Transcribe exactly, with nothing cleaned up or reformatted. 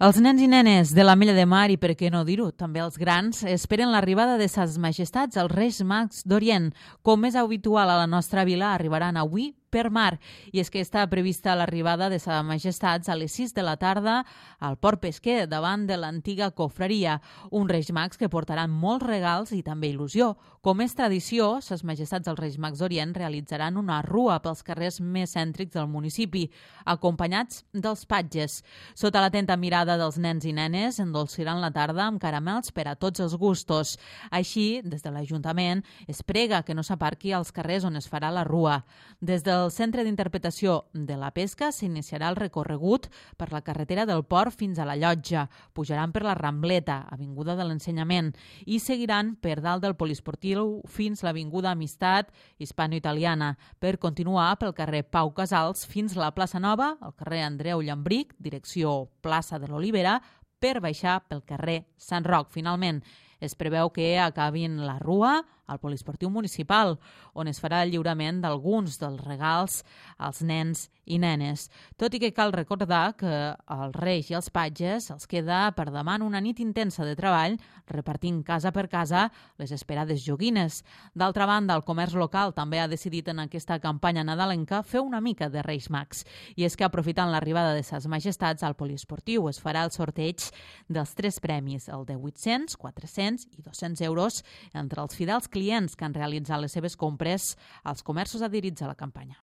Els nens i nenes de l'Ametlla de Mar i, per què no dir-ho, també els grans, esperen l'arribada de Ses Majestats, els Reis Mags d'Orient. Com és habitual a la nostra vila, arribaran avui per mar. I és que està prevista l'arribada de Ses Majestats a les sis de la tarda al Port Pesquer, davant de l'antiga cofreria. Un Reis Mags que portaran molts regals i també il·lusió. Com és tradició, Ses Majestats dels Reis Mags d'Orient realitzaran una rua pels carrers més cèntrics del municipi, acompanyats dels patges. Sota l'atenta mirada dels nens i nenes, endolciran la tarda amb caramels per a tots els gustos. Així, des de l'Ajuntament, es prega que no s'aparqui als carrers on es farà la rua. Des del Centre d'Interpretació de la Pesca s'iniciarà el recorregut per la carretera del Port fins a la Llotja. Pujaran per la Rambleta, Avinguda de l'Ensenyament, i seguiran per dalt del Poliesportiu fins l'Avinguda Amistat Hispano-Italiana, per continuar pel carrer Pau Casals fins a la plaça Nova, al carrer Andreu Llambric, direcció plaça de l'Olivera, per baixar pel carrer Sant Roc. Finalment, es preveu que acabin la rua al Poliesportiu Municipal, on es farà el lliurament d'alguns dels regals als nens i nenes. Tot i que cal recordar que als Reis i als patges els queda per davant una nit intensa de treball repartint casa per casa les esperades joguines. D'altra banda, el comerç local també ha decidit en aquesta campanya nadalenca fer una mica de Reis Mags. I és que aprofitant l'arribada de Ses Majestats al Poliesportiu es farà el sorteig dels tres premis, el de vuit-cents, quatre-cents i dos-cents euros entre els fidels clients que han realitzat les seves compres als comerços adherits a la campanya.